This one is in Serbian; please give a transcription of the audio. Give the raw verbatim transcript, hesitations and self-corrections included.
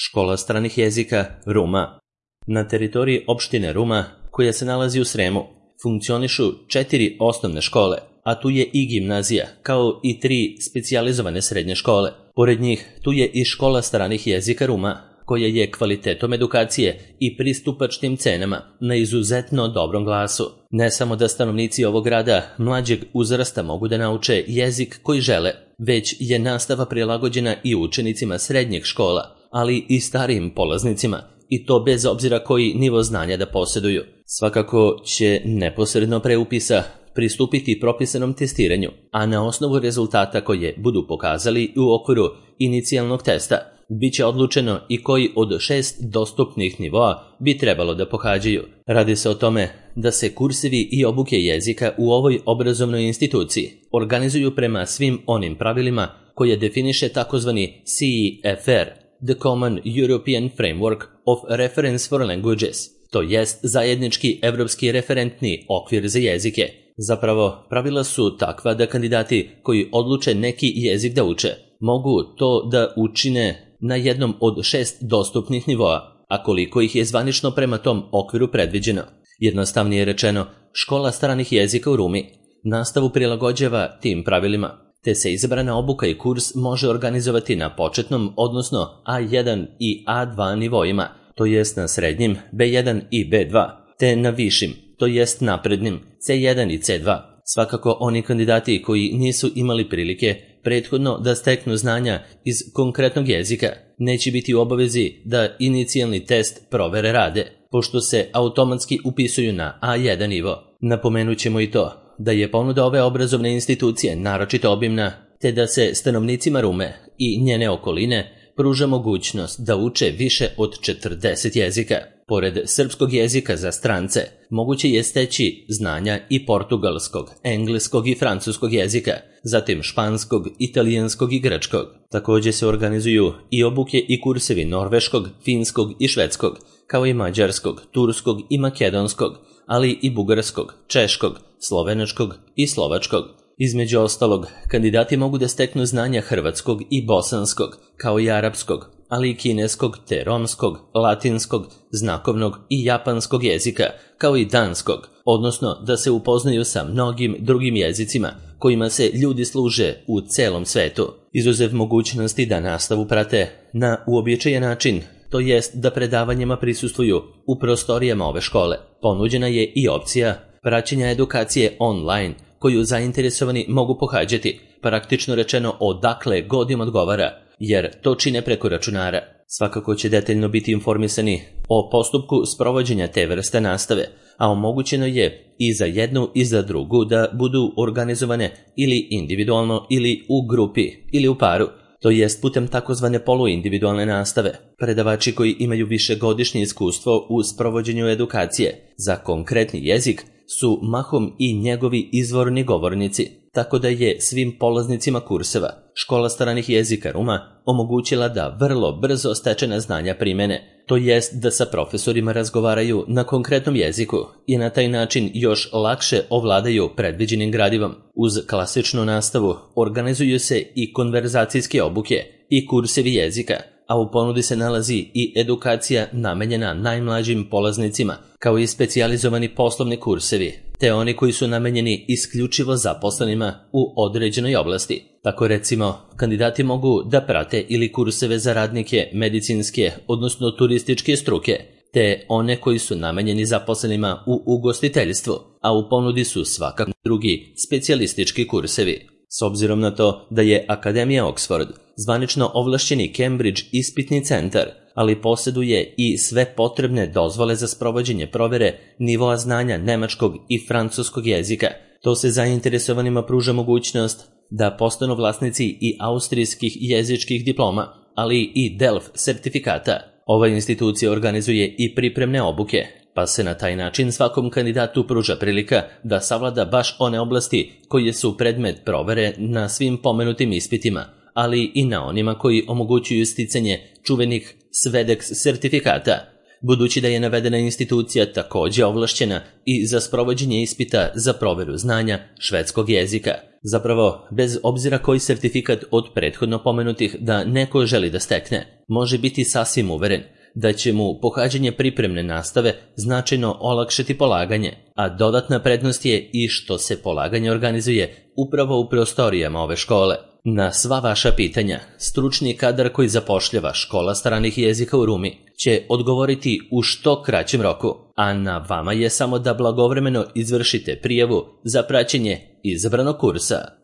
Škola stranih jezika Ruma. Na teritoriji opštine Ruma, koja se nalazi u Sremu, funkcionišu četiri osnovne škole, a tu je i gimnazija, kao i tri specijalizovane srednje škole. Pored njih, tu je i škola stranih jezika Ruma, koja je kvalitetom edukacije i pristupačnim cenama na izuzetno dobrom glasu. Ne samo da stanovnici ovog grada mlađeg uzrasta mogu da nauče jezik koji žele, već je nastava prilagođena i učenicima srednjih škola, ali i starijim polaznicima, i to bez obzira koji nivo znanja da posjeduju. Svakako će neposredno pre upisa pristupiti propisanom testiranju, a na osnovu rezultata koje budu pokazali u okviru inicijalnog testa, bit će odlučeno i koji od šest dostupnih nivoa bi trebalo da pohađaju. Radi se o tome da se kursevi i obuke jezika u ovoj obrazovnoj instituciji organizuju prema svim onim pravilima koje definiše takozvani C E F R, The Common European Framework of Reference for Languages, to jest zajednički evropski referentni okvir za jezike. Zapravo, pravila su takva da kandidati koji odluče neki jezik da uče, mogu to da učine na jednom od šest dostupnih nivoa, a koliko ih je zvanično prema tom okviru predviđeno. Jednostavnije rečeno, škola stranih jezika u Rumi nastavu prilagođava tim pravilima, te se izabrana obuka i kurs može organizovati na početnom, odnosno A jedan i A dva nivoima, to jest na srednjim B jedan i B dva, te na višim, to jest naprednim C jedan i C dva. Svakako oni kandidati koji nisu imali prilike prethodno da steknu znanja iz konkretnog jezika neće biti u obavezi da inicijalni test provere rade, pošto se automatski upisuju na A jedan nivo. Napomenut ćemo i to da je ponuda ove obrazovne institucije naročito obimna, te da se stanovnicima Rume i njene okoline pruža mogućnost da uče više od četrdeset jezika. Pored srpskog jezika za strance, moguće je steći znanja i portugalskog, engleskog i francuskog jezika, zatim španskog, italijanskog i grčkog. Također se organizuju i obuke i kursevi norveškog, finskog i švedskog, kao i mađarskog, turskog i makedonskog, ali i bugarskog, češkog, slovenačkog i slovačkog. Između ostalog, kandidati mogu da steknu znanja hrvatskog i bosanskog, kao i arapskog, ali i kineskog te romskog, latinskog, znakovnog i japanskog jezika, kao i danskog, odnosno da se upoznaju sa mnogim drugim jezicima kojima se ljudi služe u celom svetu, izuzev mogućnosti da nastavu prate na uobičajen način, to jest da predavanjima prisustvuju u prostorijama ove škole. Ponuđena je i opcija praćenja edukacije online, koju zainteresovani mogu pohađati, praktično rečeno odakle god im odgovara, jer to čine preko računara. Svakako će detaljno biti informisani o postupku sprovođenja te vrste nastave, a omogućeno je i za jednu i za drugu da budu organizovane ili individualno ili u grupi ili u paru, to jest putem takozvane poluindividualne nastave. Predavači koji imaju višegodišnje iskustvo u sprovođenju edukacije za konkretni jezik su mahom i njegovi izvorni govornici, tako da je svim polaznicima kurseva škola stranih jezika Ruma omogućila da vrlo brzo stečena znanja primene, to jest da sa profesorima razgovaraju na konkretnom jeziku i na taj način još lakše ovladaju predviđenim gradivom. Uz klasičnu nastavu organizuju se i konverzacijske obuke i kursevi jezika, a u ponudi se nalazi i edukacija namenjena najmlađim polaznicima, kao i specijalizovani poslovni kursevi, te oni koji su namenjeni isključivo zaposlenima u određenoj oblasti. Tako recimo, kandidati mogu da prate ili kurseve za radnike medicinske, odnosno turističke struke, te one koji su namenjeni zaposlenima u ugostiteljstvu, a u ponudi su svakako drugi specijalistički kursevi. S obzirom na to da je Akademija Oxford zvanično ovlašćeni Cambridge ispitni centar, ali posjeduje i sve potrebne dozvole za sprovođenje provere nivoa znanja nemačkog i francuskog jezika, to se zainteresovanima pruža mogućnost da postanu vlasnici i austrijskih jezičkih diploma, ali i D E L F sertifikata. Ova institucija organizuje i pripremne obuke, pa se na taj način svakom kandidatu pruža prilika da savlada baš one oblasti koje su predmet provere na svim pomenutim ispitima, ali i na onima koji omogućuju sticanje čuvenih SVEDEX sertifikata. budući da je navedena institucija također ovlašćena i za sprovođenje ispita za proveru znanja švedskog jezika. Zapravo, bez obzira koji sertifikat od prethodno pomenutih da neko želi da stekne, može biti sasvim uveren da će mu pohađanje pripremne nastave značajno olakšati polaganje, a dodatna prednost je i što se polaganje organizuje upravo u prostorijama ove škole. Na sva vaša pitanja, stručni kadar koji zapošljava Škola stranih jezika u Rumi će odgovoriti u što kraćem roku, a na vama je samo da blagovremeno izvršite prijavu za praćenje izabranog kursa.